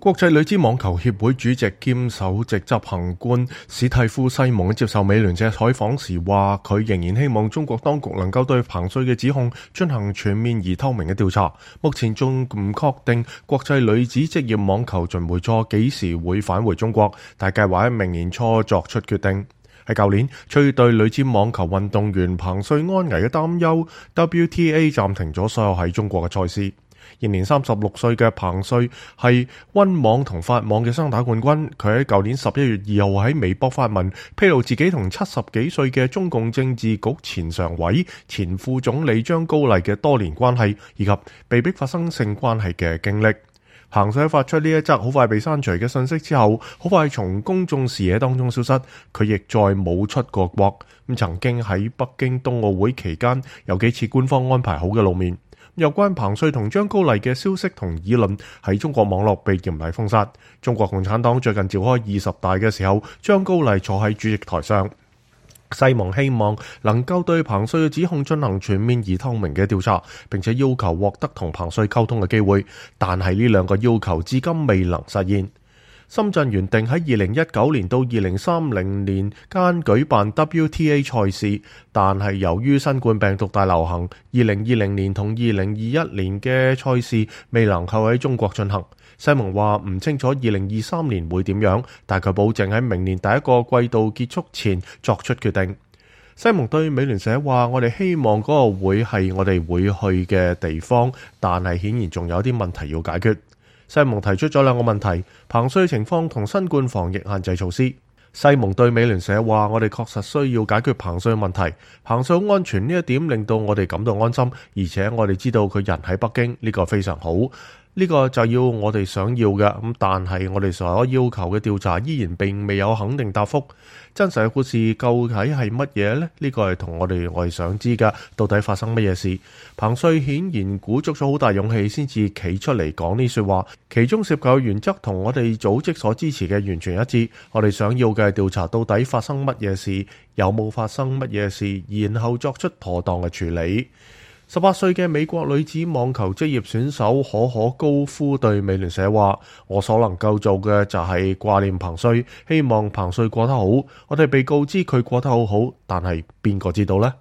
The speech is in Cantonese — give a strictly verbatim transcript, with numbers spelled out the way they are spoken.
國際女子網球協會主席兼首席執行官史蒂夫西蒙接受美聯社採訪時話，佢仍然希望中國當局能夠對彭帥嘅指控進行全面而透明嘅調查。目前仲唔確定國際女子職業網球巡迴賽幾時會返回中國，但計劃喺明年初作出決定。喺舊年，出於對女子網球運動員彭帥安危嘅擔憂 ，W T A 暫停咗所有喺中國嘅賽事。現年三十六歲嘅彭帥係溫網同法網嘅雙打冠軍。佢喺舊年十一月二號喺微博發文，披露自己同七十幾歲嘅中共政治局前常委、前副總理張高麗嘅多年關係，以及被逼發生性關係嘅經歷。彭帥發出呢一則好快被刪除嘅信息之後，好快從公眾視野當中消失。佢亦再冇出過國。咁曾經喺北京冬奧會期間有幾次官方安排好嘅露面。有關彭帥同張高麗嘅消息同議論喺中國網絡被嚴厲封殺。中國共產黨最近召開二十大嘅時候，張高麗坐喺主席台上。西蒙希望能夠對彭帥嘅指控進行全面而透明嘅調查，並且要求獲得同彭帥溝通嘅機會，但係呢兩個要求至今未能實現。深圳原定喺二零一九年到二零三零年間舉辦 W T A 賽事，但係由於新冠病毒大流行，二零二零年同二零二一年嘅賽事未能夠喺中國進行。西蒙話唔清楚二零二三年會點樣，但佢保證喺明年第一個季度結束前作出決定。西蒙對美聯社話：我哋希望嗰個會係我哋會去嘅地方，但係顯然仲有啲問題要解決。西蒙提出咗兩個問題：彭帥情況同新冠防疫限制措施。西蒙對美聯社話：我哋確實需要解決彭帥嘅問題，彭帥好安全呢一點令到我哋感到安心，而且我哋知道佢人喺北京，呢個非常好。呢個就要我哋想要嘅，咁但係我哋所要求嘅調查依然並未有肯定答覆。真實嘅故事究竟係乜嘢呢？呢個係同我哋我哋想知㗎，到底發生乜嘢事？彭帥顯然鼓足咗好大勇氣先至企出嚟講呢說話，其中涉及嘅原則同我哋組織所支持嘅完全一致。我哋想要嘅係調查到底發生乜嘢事，有冇發生乜嘢事，然後作出妥當嘅處理。十八歲嘅美國女子網球職業選手可可高夫對美聯社話：我所能夠做嘅就係掛念彭帥，希望彭帥過得好。我哋被告知佢過得好好，但係邊個知道呢？